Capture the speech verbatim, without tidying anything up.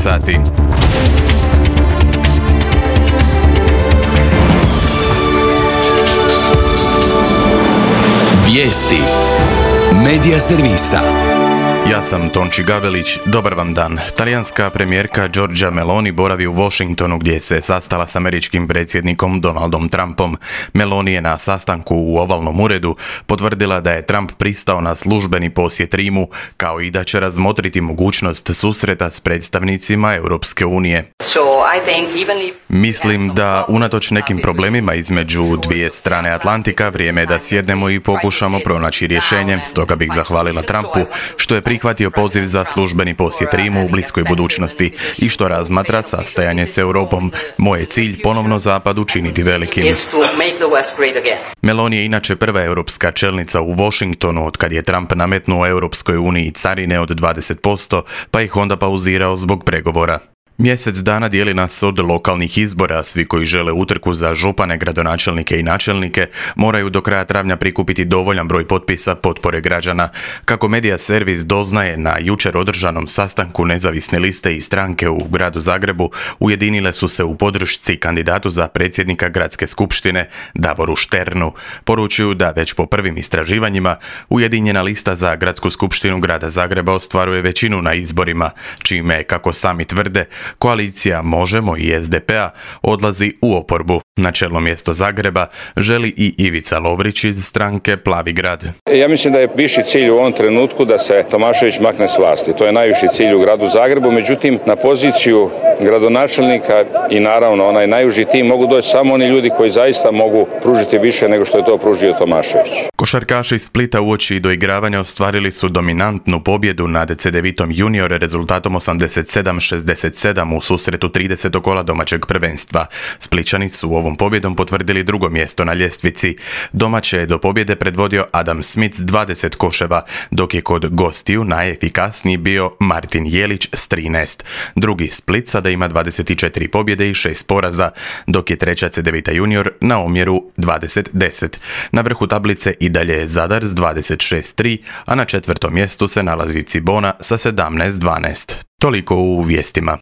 sati. Vijesti Medija servisa. Ja sam Tonči Gavelić, dobar vam dan. Talijanska premijerka Giorgia Meloni boravi u Washingtonu gdje se sastala s američkim predsjednikom Donaldom Trumpom. Meloni je na sastanku u ovalnom uredu potvrdila da je Trump pristao na službeni posjet Rimu, kao i da će razmotriti mogućnost susreta s predstavnicima Europske unije. Mislim da unatoč nekim problemima između dvije strane Atlantika vrijeme je da sjednemo i pokušamo pronaći rješenje, stoga bih zahvalila Trumpu što je prihvatio poziv za službeni posjet Rimu u bliskoj budućnosti i što razmatra sastajanje s Europom. Moj je cilj ponovno Zapad učiniti velikim. Meloni je inače prva europska čelnica u Washingtonu otkad je Trump nametnuo Europskoj uniji carine od dvadeset posto, pa ih onda pauzirao zbog pregovora. Mjesec dana dijeli nas od lokalnih izbora. Svi koji žele utrku za župane, gradonačelnike i načelnike moraju do kraja travnja prikupiti dovoljan broj potpisa potpore građana. Kako medija servis doznaje, na jučer održanom sastanku nezavisne liste i stranke u gradu Zagrebu ujedinile su se u podršci kandidatu za predsjednika gradske skupštine Davoru Šternu. Poručuju da već po prvim istraživanjima ujedinjena lista za gradsku skupštinu grada Zagreba ostvaruje većinu na izborima, čime, kako sami tvrde, koalicija Možemo i es de pe a odlazi u oporbu. Na čelno mjesto Zagreba želi i Ivica Lovrić iz stranke Plavi grad. Ja mislim da je viši cilj u ovom trenutku da se Tomašević makne s vlasti. To je najviši cilj u gradu Zagrebu, međutim na poziciju gradonačelnika i naravno onaj najuži tim mogu doći samo oni ljudi koji zaista mogu pružiti više nego što je to pružio Tomašević. Košarkaši Splita uoči doigravanja ostvarili su dominantnu pobjedu nad Cedevitom junior rezultatom osamdeset sedam šezdeset sedam u susretu tridesetog kola domaćeg prvenstva. Splićani su u ovom pobjedom potvrdili drugo mjesto na ljestvici. Domaće je do pobjede predvodio Adam Smith s dvadeset koševa, dok je kod gostiju najefikasniji bio Martin Jelić s trinaest. Drugi Split sada ima dvadeset četiri pobjede i šest poraza, dok je treća Cedevita junior na omjeru dvadeset deset. Na vrhu tablice i dalje je Zadar s dvadeset šest tri, a na četvrtom mjestu se nalazi Cibona sa sedamnaest dvanaest. Toliko u vijestima.